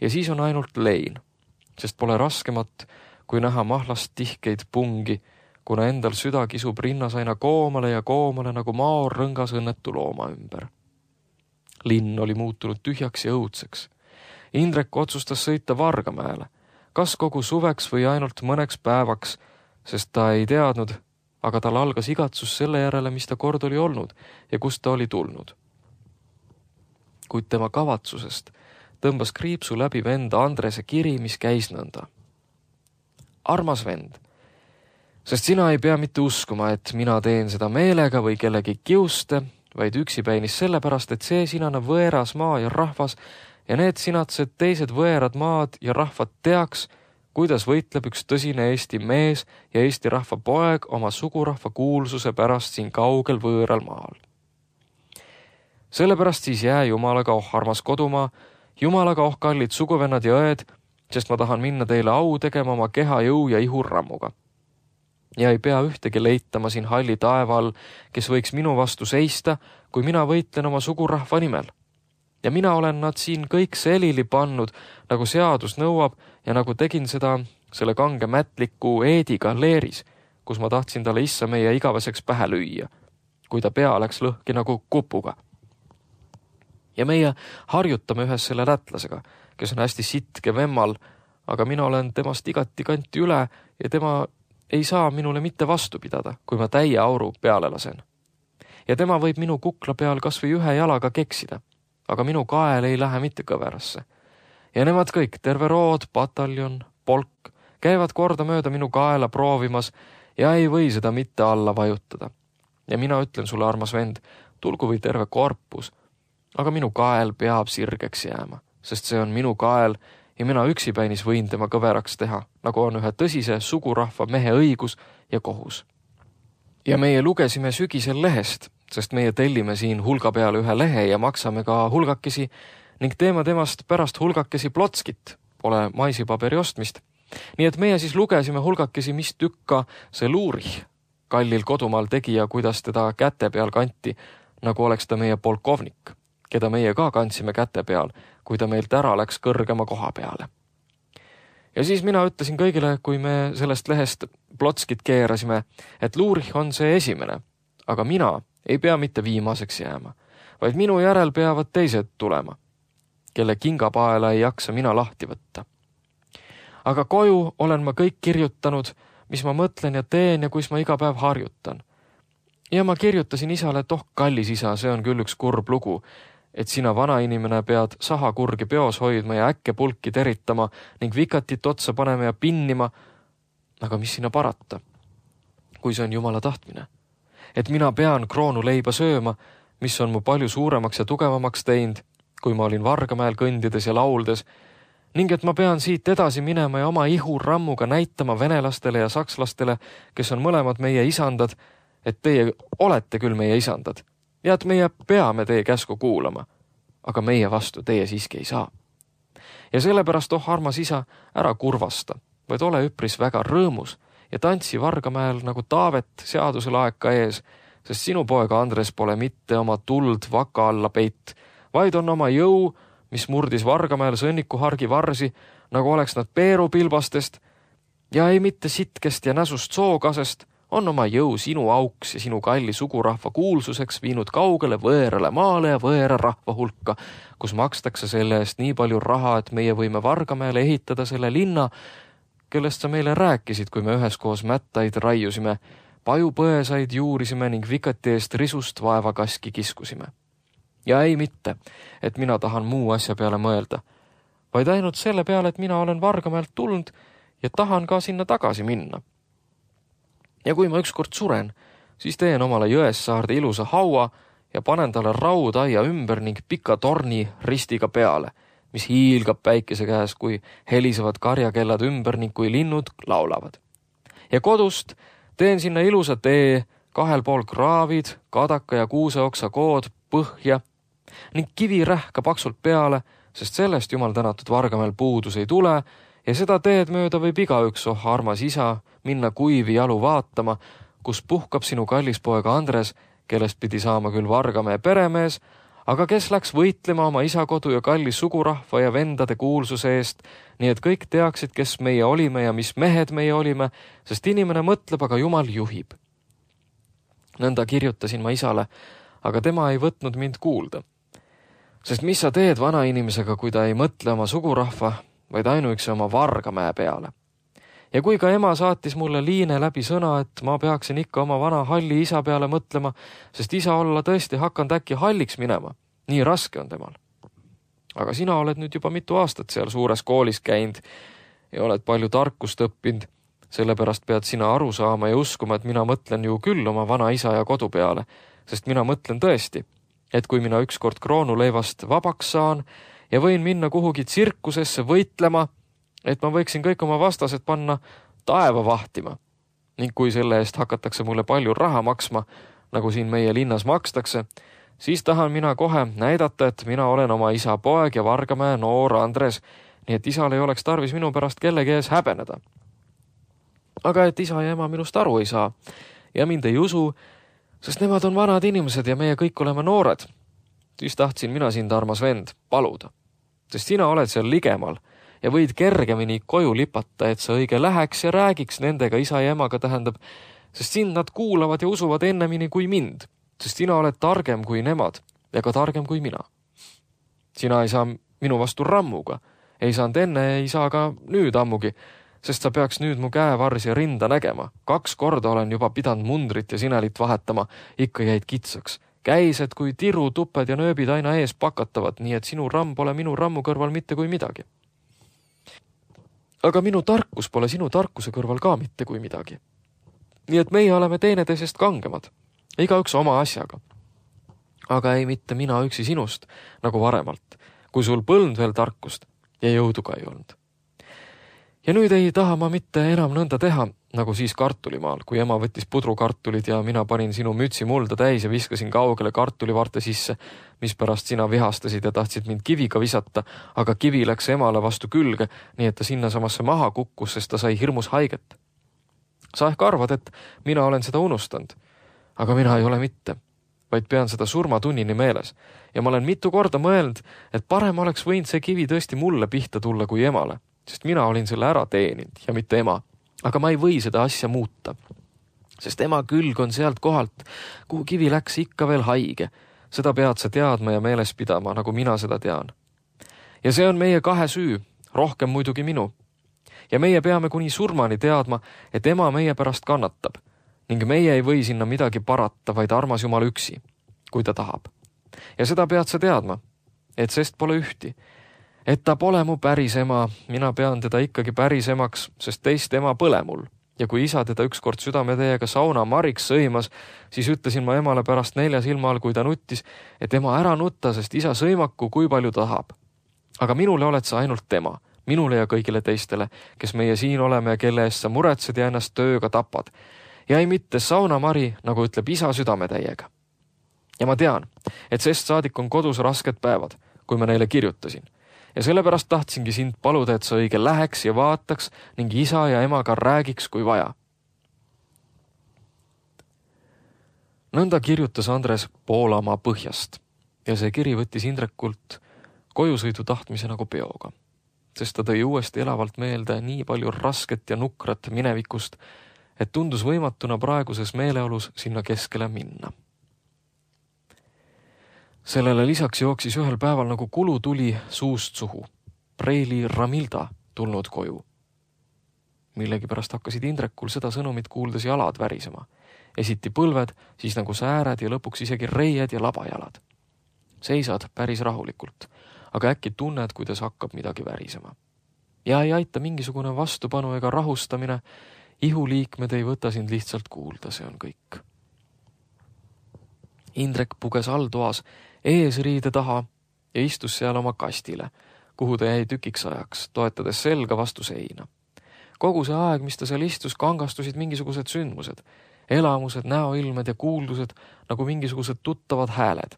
Ja siis on ainult lein, sest pole raskemat, kui näha mahlast tihkeid pungi, kuna endal süda kisub rinnas aina koomale ja koomale nagu maor rõngas õnnetu looma ümber. Linn oli muutunud tühjaks ja õudseks. Indrek otsustas sõita Vargamäele, kas kogu suveks või ainult mõneks päevaks, sest ta ei teadnud, aga tal algas igatsus selle järele, mis ta kord oli olnud ja kust ta oli tulnud. Kuid tema kavatsusest tõmbas kriipsu läbi venda Andrese kiri, mis käis nõnda. Armas vend, sest sina ei pea mitte uskuma, et mina teen seda meelega või kellegi kiuste, vaid üksipäinis sellepärast, et see sinane võeras maa ja rahvas ja need sinatsed teised võerad maad ja rahvad teaks, kuidas võitleb üks tõsine Eesti mees ja Eesti rahva poeg oma sugurahva kuulsuse pärast siin kaugel võõral maal. Sellepärast siis jää Jumalaga oh armas kodumaa, Jumalaga oh kallid suguvennad ja õed, sest ma tahan minna teile au tegema oma keha jõu ja ihurrammuga. Ja ei pea ühtegi leitama siin halli taeva all, kes võiks minu vastu seista, kui mina võitlen oma sugurahva nimel. Ja mina olen nad siin kõik selili pannud, nagu seadus nõuab ja nagu tegin seda selle kange mätliku Eediga leeris, kus ma tahtsin talle issa meie igaveseks pähe lüüa, kui ta pea läks lõhki nagu kupuga. Ja meie harjutame ühes selle lätlasega, kes on hästi sitke vemmal, aga mina olen temast igati kanti üle ja tema ei saa minule mitte vastu pidada, kui ma täie auru peale lasen. Ja tema võib minu kukla peal kas või ühe jalaga keksida, aga minu kael ei lähe mitte kõverasse. Ja nemad kõik, terve rood, pataljon, polk, käivad korda mööda minu kaela proovimas ja ei või seda mitte alla vajutada. Ja mina ütlen sulle, armas vend, tulgu või terve korpus, aga minu kael peab sirgeks jääma, sest see on minu kael ja mina üksipäinis võin tema kõveraks teha, nagu on ühe tõsise sugurahva mehe õigus ja kohus. Ja meie lugesime sügisel lehest, sest meie tellime siin hulga peale ühe lehe ja maksame ka hulgakesi ning teeme temast pärast hulgakesi plotskit, pole maisipaberi ostmist. Nii et meie siis lugesime hulgakesi, mis tükka see Luurih kallil kodumaal tegi ja kuidas teda käte peal kanti, nagu oleks ta meie polkovnik, keda meie ka kandsime käte peal, kui ta meilt ära läks kõrgema koha peale. Ja siis mina ütlesin kõigile, kui me sellest lehest plotskit keerasime, et Luurih on see esimene, aga mina ei pea mitte viimaseks jääma, vaid minu järel peavad teised tulema, kelle kingapaela ei jaksa mina lahti võtta. Aga koju olen ma kõik kirjutanud, mis ma mõtlen ja teen ja kus ma iga päev harjutan. Ja ma kirjutasin isale, et oh kallis isa, see on küll üks kurb lugu, et sina vana inimene pead sahakurgi peos hoidma ja äkke pulki teritama ning vikatit otsa panema ja pinnima, aga mis sinna parata, kui see on Jumala tahtmine. Et mina pean kroonuleiba sööma, mis on mu palju suuremaks ja tugevamaks teinud, kui ma olin Vargamäel kõndides ja lauldes, ning et ma pean siit edasi minema ja oma ihurrammuga näitama venelastele ja sakslastele, kes on mõlemad meie isandad, et teie olete küll meie isandad ja et meie peame teie käsku kuulama, aga meie vastu teie siiski ei saa. Ja sellepärast, oh armas isa, ära kurvasta, vaid ole üpris väga rõõmus ja tantsi Vargamäel nagu Taavet seaduse laeka ees, sest sinu poeg Andres pole mitte oma tuld vaka alla peit, vaid on oma jõu, mis murdis Vargamäel sõnnikuhargi varsi, nagu oleks nad peerupilbastest, ja ei mitte sitkest ja näsust sookasest, on oma jõu sinu auks ja sinu kalli sugurahva kuulsuseks viinud kaugele võõrale maale ja võõra rahva hulka, kus makstakse selle eest nii palju raha, et meie võime Vargamäele ehitada selle linna, kellest sa meile rääkisid, kui me üheskoos mättaid raiusime, pajupõesaid juurisime ning vikati eest risust vaevakaski kiskusime. Ja ei mitte, et mina tahan muu asja peale mõelda, vaid ainult selle peale, et mina olen Vargamäelt tulnud ja tahan ka sinna tagasi minna. Ja kui ma ükskord suren, siis teen omale Jõessaarde ilusa haua ja panen talle raudaia ümber ning pika torni ristiga peale, mis hiilgab päikese käes, kui helisevad karjakellad ümber ning kui linnud laulavad. Ja kodust teen sinna ilusa tee, kahel pool kraavid, kadaka ja kuuseoksa kood põhja ning kivirähka paksult peale, sest sellest jumal tänatud Vargamäel puudus ei tule ja seda teed mööda võib igaüks, oh armas isa, minna kuivi jalu vaatama, kus puhkab sinu kallis poeg Andres, kellest pidi saama küll Vargamäe peremees, aga kes läks võitlema oma isakodu ja kalli sugurahva ja vendade kuulsuse eest, nii et kõik teaksid, kes meie olime ja mis mehed meie olime, sest inimene mõtleb, aga jumal juhib. Nõnda kirjutasin ma isale, aga tema ei võtnud mind kuulda. Sest mis sa teed vana inimesega, kui ta ei mõtle oma sugurahva, vaid ainuüksi oma Vargamäe peale. Ja kui ka ema saatis mulle liine läbi sõna, et ma peaksin ikka oma vana halli isa peale mõtlema, sest isa olla tõesti hakanud äkki halliks minema. Nii raske on temal. Aga sina oled nüüd juba mitu aastat seal suures koolis käinud ja oled palju tarkust õppinud. Sellepärast pead sina aru saama ja uskuma, et mina mõtlen ju küll oma vana isa ja kodu peale, sest mina mõtlen tõesti, et kui mina ükskord kroonuleivast vabaks saan ja võin minna kuhugi tsirkusesse võitlema, et ma võiksin kõik oma vastased panna taeva vahtima. Ning kui selle eest hakatakse mulle palju raha maksma, nagu siin meie linnas makstakse, siis tahan mina kohe näidata, et mina olen oma isa poeg ja Vargamäe noor Andres, nii et isal ei oleks tarvis minu pärast kellegi ees häbeneda. Aga et isa ja ema minust aru ei saa ja mind ei usu, sest nemad on vanad inimesed ja meie kõik oleme noored, siis tahtsin mina sind, armas vend, paluda. Sest sina oled seal ligemal ja võid kergemini koju lipata, et sa õige läheks ja räägiks nendega isa ja emaga, tähendab, sest sind nad kuulavad ja usuvad ennemini kui mind, sest sina oled targem kui nemad ja ka targem kui mina. Sina ei saa minu vastu rammuga, ei saanud enne, ei saa ka nüüd ammugi, sest sa peaks nüüd mu käevarsi ja rinda nägema. Kaks korda olen juba pidanud mundrit ja sinelit vahetama, ikka jäid kitsaks. Käised kui tiru, tuped ja nööbid aina ees pakatavad, nii et sinu ramm pole minu rammu kõrval mitte kui midagi. Aga minu tarkus pole sinu tarkuse kõrval ka mitte kui midagi. Nii et meie oleme teineteisest kangemad, igaüks oma asjaga. Aga ei mitte mina üksi sinust, nagu varemalt, kui sul põlnud veel tarkust ja jõudu ka ei olnud. Ja nüüd ei taha ma mitte enam nõnda teha, nagu siis kartulimaal, kui ema võttis pudrukartulid ja mina panin sinu mütsi mulda täis ja viskasin kaugele kartulivarte sisse, mispärast sina vihastasid ja tahtsid mind kiviga visata, aga kivi läks emale vastu külge, nii et ta sinna samasse maha kukkus, sest ta sai hirmus haiget. Sa ehk arvad, et mina olen seda unustanud, aga mina ei ole mitte, vaid pean seda surmatunnini meeles. Ja ma olen mitu korda mõelnud, et parem oleks võinud see kivi tõesti mulle pihta tulla kui emale, sest mina olin selle ära teeninud ja mitte ema. Aga ma ei või seda asja muuta, sest ema külg on sealt kohalt, kuhu kivi läks ikka veel haige. Seda pead sa teadma ja meeles pidama, nagu mina seda tean. Ja see on meie kahe süü, rohkem muidugi minu. Ja meie peame kuni surmani teadma, et ema meie pärast kannatab ning meie ei või sinna midagi parata, vaid armas Jumal üksi, kui ta tahab. Ja seda pead sa teadma, et sest pole ühti. Et ta pole mu päris ema, mina pean teda ikkagi päris emaks, sest teist ema põle mul. Ja kui isa teda ükskord südametäiega sauna mariks sõimas, siis ütlesin ma emale pärast nelja silma all, kui ta nuttis, et ema ära nutta, sest isa sõimaku kui palju tahab. Aga minule oled sa ainult tema, minule ja kõigile teistele, kes meie siin oleme ja kelle eest sa muretsed ja ennast tööga tapad. Ja ei mitte sauna mari, nagu ütleb isa südametäiega. Ja ma tean, et sest saadik on kodus rasked päevad, kui ma neile kirjutasin. Ja sellepärast tahtsingi sind paluda, et sa õige läheks ja vaataks ning isa ja emaga räägiks, kui vaja. Nõnda kirjutas Andres Poolamaa põhjast ja see kiri võttis Indrekult kojusõidu tahtmise nagu peoga, sest ta tõi uuesti elavalt meelde nii palju rasket ja nukrat minevikust, et tundus võimatuna praeguses meeleolus sinna keskele minna. Sellele lisaks jooksis ühel päeval nagu kulutuli suust suhu. Preili Ramilda tulnud koju. Millegipärast hakkasid Indrekul seda sõnumit kuuldes jalad värisema. Esiti põlved, siis nagu sääred ja lõpuks isegi reied ja labajalad. Seisad päris rahulikult, aga äkki tunned, kuidas hakkab midagi värisema. Ja ei aita mingisugune vastupanu ega rahustamine, ihuliikmed ei võta sind lihtsalt kuulda, see on kõik. Indrek puges alltoas eesriide taha ja istus seal oma kastile, kuhu ta jäi tükiks ajaks, toetades selga vastu seina. Kogu see aeg, mis ta seal istus, kangastusid mingisugused sündmused, elamused, näoilmed ja kuuldused nagu mingisugused tuttavad hääled.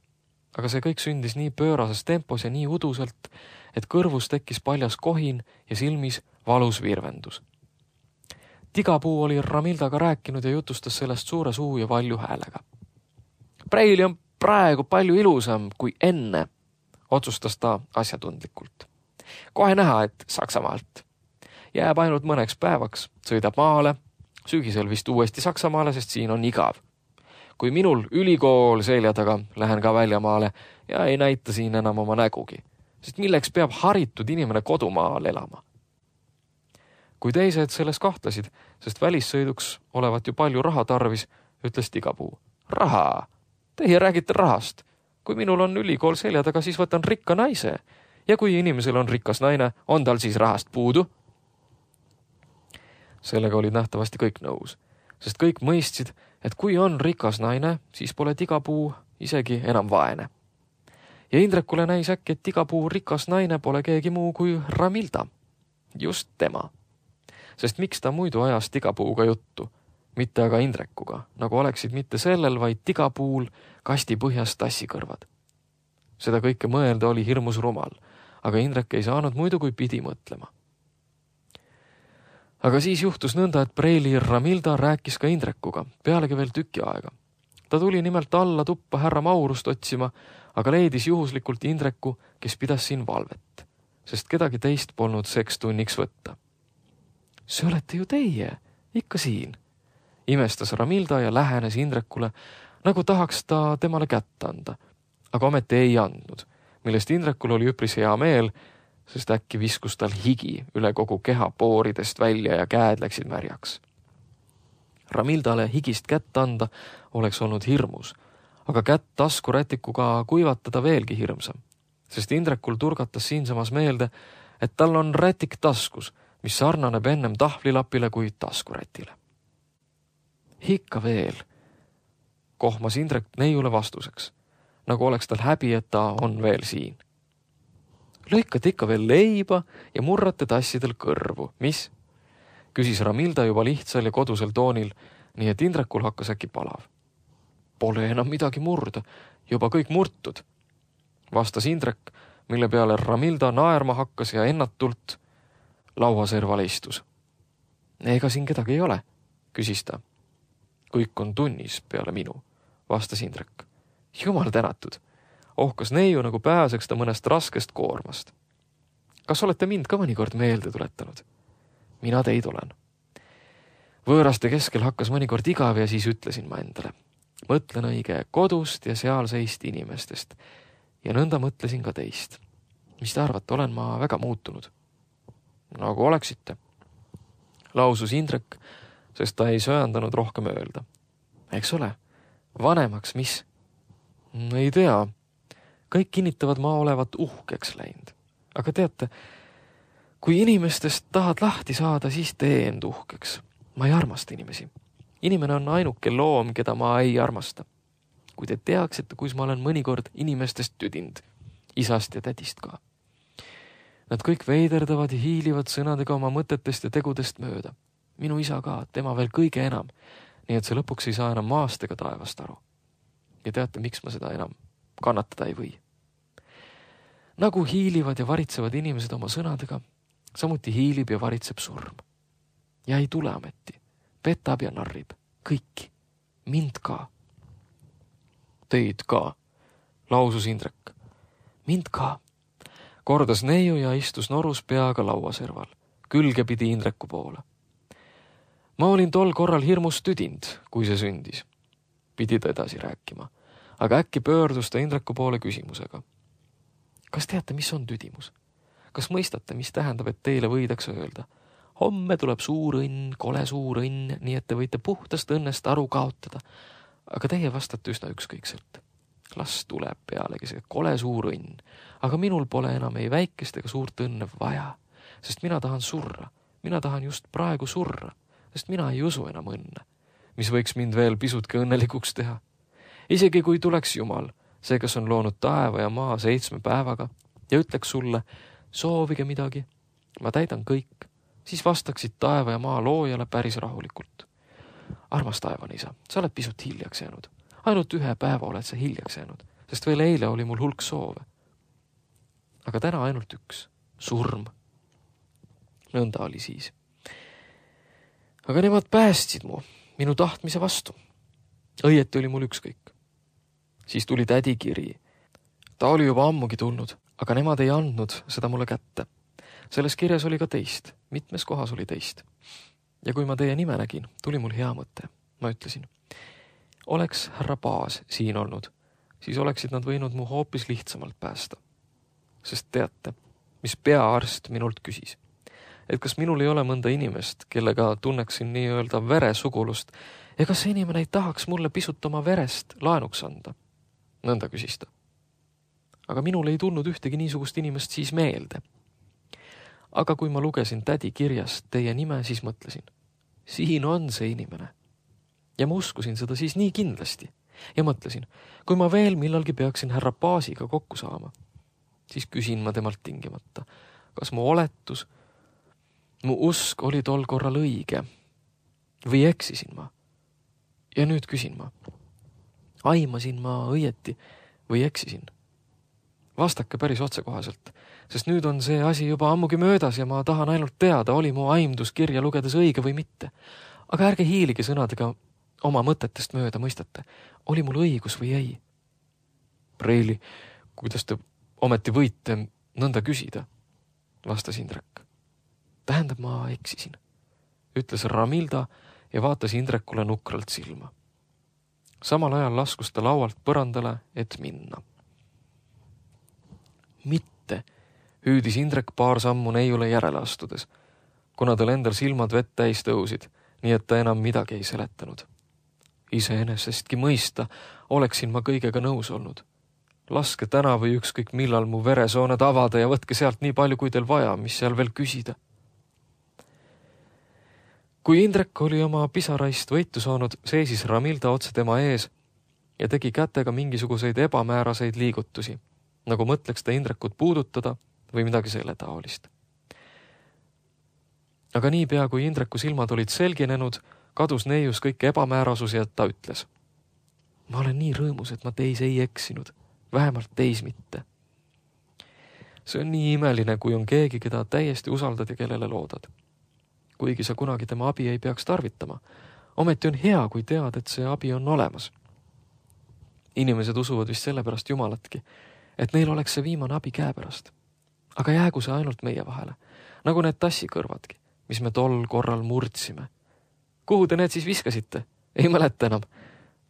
Aga see kõik sündis nii pöörases tempos ja nii uduselt, et kõrvus tekkis paljas kohin ja silmis valus virvendus. Tigapuu oli Ramildaga rääkinud ja jutustas sellest suure suu ja valju häälega. Preili on praegu palju ilusam kui enne, otsustas ta asjatundlikult. Kohe näha, et Saksamaalt. Jääb ainult mõneks päevaks, sõidab maale, sügisel vist uuesti Saksamaale, sest siin on igav. Kui minul ülikool selja taga, lähen ka väljamaale ja ei näita siin enam oma nägugi, sest milleks peab haritud inimene kodumaal elama. Kui teised selles kahtlesid, sest välissõiduks olevat ju palju raha tarvis, ütles Tigapuu. Raha! Teie räägite rahast. Kui minul on ülikool selja taga, siis võtan rikka naise. Ja kui inimesel on rikas naine, on tal siis rahast puudu? Sellega olid nähtavasti kõik nõus, sest kõik mõistsid, et kui on rikas naine, siis pole Tigapuu isegi enam vaene. Ja Indrekule näis äkki, et Tigapuu rikas naine pole keegi muu kui Ramilda. Just tema. Sest miks ta muidu ajas Tigapuuga juttu, mitte aga Indrekuga, nagu oleksid mitte sellel, vaid Tigapuul kasti põhjas tassikõrvad. Seda kõike mõelda oli hirmus rumal, aga Indrek ei saanud muidu kui pidi mõtlema. Aga siis juhtus nõnda, et Preili Ramilda rääkis ka Indrekuga, pealegi veel tüki aega. Ta tuli nimelt alla tuppa härra Maurust otsima, aga leidis juhuslikult Indreku, kes pidas siin valvet, sest kedagi teist polnud seks tunniks võtta. See olete ju teie, ikka siin, imestas Ramilda ja lähenes Indrekule, nagu tahaks ta temale kätt anda, aga ometi ei andnud, millest Indrekul oli üpris hea meel, sest äkki viskus tal higi üle kogu keha pooridest välja ja käed läksid märjaks. Ramildale higist kätt anda oleks olnud hirmus, aga kätt taskurätikuga kuivatada veelgi hirmsam, sest Indrekul turgatas siinsamas meelde, et tal on rätik taskus, mis sarnaneb ennem tahvlilapile kui taskurätile. Ikka veel, kohmas Indrek neiule vastuseks, nagu oleks tal häbi, et ta on veel siin. Lõikate ikka veel leiba ja murrate tassidel kõrvu. Mis? Küsis Ramilda juba lihtsal ja kodusel toonil, nii et Indrekul hakkas äkki palav. Pole enam midagi murda, juba kõik murtud, vastas Indrek, mille peale Ramilda naerma hakkas ja ennatult lauaserval istus. Ega siin kedagi ei ole, küsis ta. Kõik on tunnis peale minu, vastas Indrek. Jumal tänatud. Ohkas neiu, nagu pääseks ta mõnest raskest koormast. Kas olete mind ka mõnikord meelde tuletanud? Mina teid olen. Võõraste keskel hakkas mõnikord igav ja siis ütlesin ma endale. Mõtlen õige kodust ja sealseist inimestest. Ja nõnda mõtlesin ka teist. Mis te arvate, olen ma väga muutunud? Nagu oleksite. Lausus Indrek, sest ta ei söandanud rohkem öelda. Eks ole, vanemaks mis? Ei tea. Kõik kinnitavad ma olevat uhkeks läinud. Aga teate, kui inimestest tahad lahti saada, siis tee end uhkeks. Ma ei armasta inimesi. Inimene on ainuke loom, keda ma ei armasta. Kui te teaksite, kus ma olen mõnikord inimestest tüdind, isast ja tädist ka. Nad kõik veiderdavad ja hiilivad sõnadega oma mõtetest ja tegudest mööda. Minu isa ka, tema veel kõige enam, nii et see lõpuks ei saa enam maast ega taevast aru. Ja teate, miks ma seda enam kannatada ei või. Nagu hiilivad ja varitsevad inimesed oma sõnadega, samuti hiilib ja varitseb surm. Ja ei tule ameti, petab ja narrib, kõiki, mind ka. Teid ka, lausus Indrek. Mind ka, kordas neiu ja istus norus peaga lauaserval, külge pidi Indreku poole. ma olin tol korral hirmus tüdind, kui see sündis. Pidi ta edasi rääkima, aga äkki pöördus ta Indreku poole küsimusega. Kas teate, mis on tüdimus? Kas mõistate, mis tähendab, et teile võidakse öelda? Homme tuleb suur õnn, kole suur õnn, nii et te võite puhtast õnnest aru kaotada. Aga teie vastate üsna ükskõikselt. Las tuleb pealegi see kole suur õnn, aga minul pole enam ei väikest ega suurt õnne vaja, sest mina tahan surra. Mina tahan just praegu surra, sest mina ei usu enam õnne, mis võiks mind veel pisutki õnnelikuks teha. Isegi kui tuleks Jumal, see, kes on loonud taeva ja maa seitsme päevaga ja ütleks sulle, soovige midagi, ma täidan kõik, siis vastaksid taeva ja maa loojale päris rahulikult. Armas taevanisa, sa oled pisut hiljaks jäänud. Ainult ühe päeva oled sa hiljaks jäänud, sest veel eile oli mul hulk soove. Aga täna ainult üks, surm. Nõnda oli siis. Aga nemad päästsid mu, minu tahtmise vastu. Õieti oli mul ükskõik. Siis tuli tädi kiri. Ta oli juba ammugi tulnud, aga nemad ei andnud seda mulle kätte. Selles kirjas oli ka teist, mitmes kohas oli teist. Ja kui ma teie nime nägin, tuli mul hea mõte. Ma ütlesin, oleks härra Paas siin olnud, siis oleksid nad võinud mu hoopis lihtsamalt päästa. Sest teate, mis peaarst minult küsis, et kas minul ei ole mõnda inimest, kellega tunneksin nii-öelda veresugulust, ja kas see inimene ei tahaks mulle pisut oma verest laenuks anda? Nõnda küsis ta. Aga minul ei tulnud ühtegi niisugust inimest siis meelde. Aga kui ma lugesin tädi kirjast teie nime, siis mõtlesin, siin on see inimene. Ja ma uskusin seda siis nii kindlasti. Ja mõtlesin, kui ma veel millalgi peaksin härra Paasiga kokku saama, siis küsin ma temalt tingimata, kas mu oletus, mu usk oli tol korral õige või eksisin ma. Ja nüüd küsin ma, aimasin ma õieti või eksisin? Vastake päris otsekohaselt, sest nüüd on see asi juba ammugi möödas ja ma tahan ainult teada, oli mu aimdus kirja lugedes õige või mitte. Aga ärge hiiligi sõnadega oma mõtetest mööda, mõistate, oli mul õigus või ei? Preili, kuidas te ometi võite nõnda küsida, vastas Indrek. Tähendab, ma eksisin, ütles Ramilda ja vaatas Indrekule nukralt silma. Samal ajal laskus ta laualt põrandale, et minna. Mitte, hüüdis Indrek paar sammu neiule järele astudes, kuna tal endal silmad vett täis tõusid, nii et ta enam midagi ei seletanud. Iseenesestki mõista oleksin ma kõigega nõus olnud. Laske täna või ükskõik millal mu veresooned avada ja võtke sealt nii palju, kui teil vaja, mis seal veel küsida. Kui Indrek oli oma pisaraist võitu saanud, seisis Ramilda otse tema ees ja tegi kätega mingisuguseid ebamääraseid liigutusi, nagu mõtleks ta Indrekut puudutada või midagi selle taolist. Aga niipea, kui Indreku silmad olid selginenud, kadus neius kõik ebamäärasus ja ta ütles, ma olen nii rõõmus, et ma teis ei eksinud, vähemalt teis mitte. See on nii imeline, kui on keegi, keda täiesti usaldad ja kellele loodad. Kuigi sa kunagi tema abi ei peaks tarvitama, ometi on hea, kui tead, et see abi on olemas. Inimesed usuvad vist sellepärast Jumalatki, et neil oleks see viimane abi käepärast. Aga jäägu see ainult meie vahele, nagu need tassikõrvadki, mis me tol korral murdsime. Kuhu te need siis viskasite? Ei mäleta enam.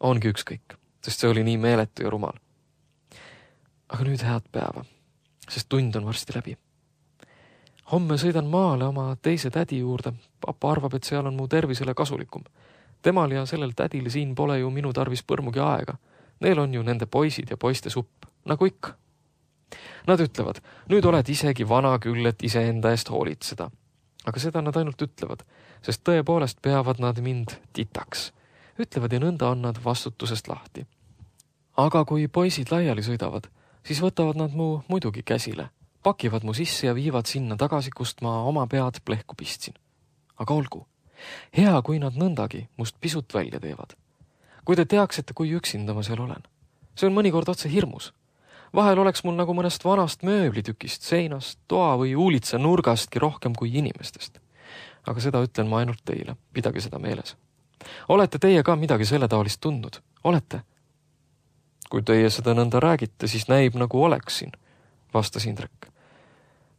Ongi ükskõik, sest see oli nii meeletu ja rumal. Aga nüüd head päeva, sest tund on varsti läbi. Homme sõidan maale oma teise tädi juurde. Papa arvab, et seal on mu tervisele kasulikum. Temal ja sellel tädil siin pole ju minu tarvis põrmugi aega. Neil on ju nende poisid ja poiste supp, nagu ikka. Nad ütlevad, nüüd oled isegi vana küll, et iseenda eest hoolitseda. Aga seda nad ainult ütlevad, sest tõepoolest peavad nad mind titaks. Ütlevad ja nõnda on nad vastutusest lahti. Aga kui poisid laiali sõidavad, siis võtavad nad mu muidugi käsile, pakivad mu sisse ja viivad sinna tagasi, kust ma oma pead plehku pistsin. Aga olgu, hea, kui nad nõndagi must pisut välja teevad. Kui te teaksite, kui üksinda ma seal olen. See on mõnikord otse hirmus. Vahel oleks mul nagu mõnest vanast mööblitükist, seinast, toa või uulitsa nurgastki rohkem kui inimestest. Aga seda ütlen ma ainult teile, pidage seda meeles. Olete teie ka midagi selle taolist tundnud? Olete? Kui teie seda nõnda räägite, siis näib nagu oleksin, vastas Indrek.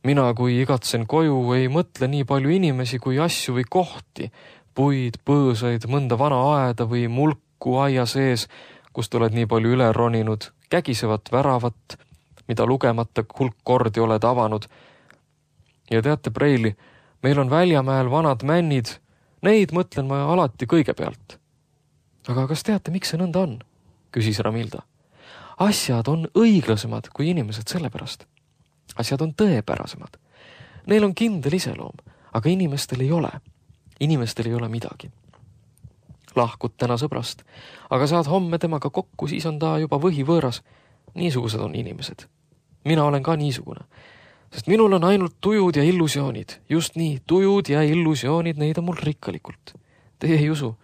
Mina, kui igatsen koju, ei mõtle nii palju inimesi kui asju või kohti, puid, põõsaid, mõnda vana aeda või mulku aia sees, kust oled nii palju üle roninud, kägisevat väravat, mida lugemata hulk kordi oled avanud. Ja teate, Preili, meil on Väljamäel vanad männid, neid mõtlen ma alati kõigepealt. Aga kas teate, miks see nõnda on? Küsis Ramilda. Asjad on õiglasemad kui inimesed sellepärast. Asjad on tõepärasemad. Neil on kindel iseloom, aga inimestel ei ole. Inimestel ei ole midagi. Lahkud täna sõbrast, aga saad homme temaga kokku, siis on ta juba võhivõõras. Niisugused on inimesed. Mina olen ka niisugune, sest minul on ainult tujud ja illusioonid. Just nii, tujud ja illusioonid, neid on mul rikkalikult. Teie ei usu.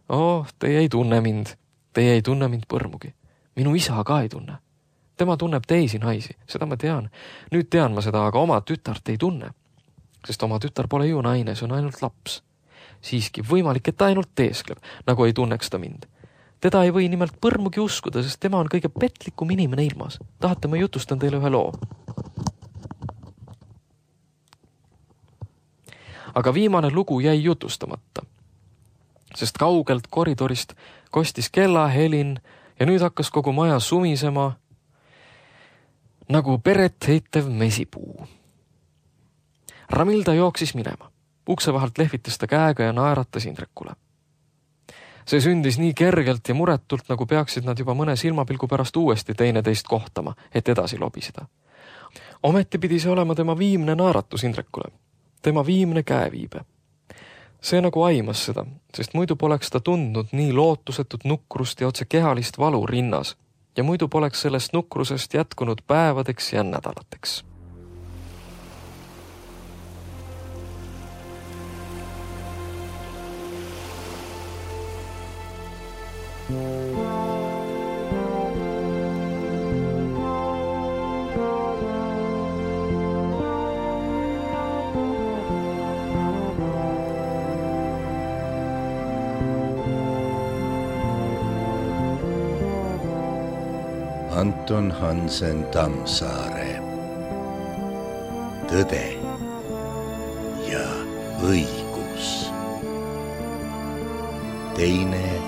Oh, teie ei tunne mind. Teie ei tunne mind põrmugi. Minu isa ka ei tunne. Tema tunneb teisi naisi, seda ma tean. Nüüd tean ma seda, aga oma tütart ei tunne. Sest oma tütar pole ju naine, see on ainult laps. Siiski võimalik, et ta ainult teeskleb, nagu ei tunneks ta mind. Teda ei või nimelt põrmugi uskuda, sest tema on kõige petlikum inimene ilmas. Tahate, ma jutustan teile ühe loo. Aga viimane lugu jäi jutustamata, sest kaugelt koridorist kostis kellahelin ja nüüd hakkas kogu maja sumisema nagu peret heitev mesipuu. Ramilda jooksis minema. Ukse vahelt lehvitas ta käega ja naeratas Indrekule. See sündis nii kergelt ja muretult, nagu peaksid nad juba mõne silmapilgu pärast uuesti teineteist kohtama, et edasi lobiseda. Ometi pidi see olema tema viimne naeratus Indrekule, tema viimne käeviibe. See nagu aimas seda, sest muidu poleks ta tundnud nii lootusetut nukrust ja otse kehalist valu rinnas ja muidu poleks sellest nukrusest jätkunud päevadeks ja nädalateks. Anton Hansen Tammsaare. Tõde ja õigus. Teine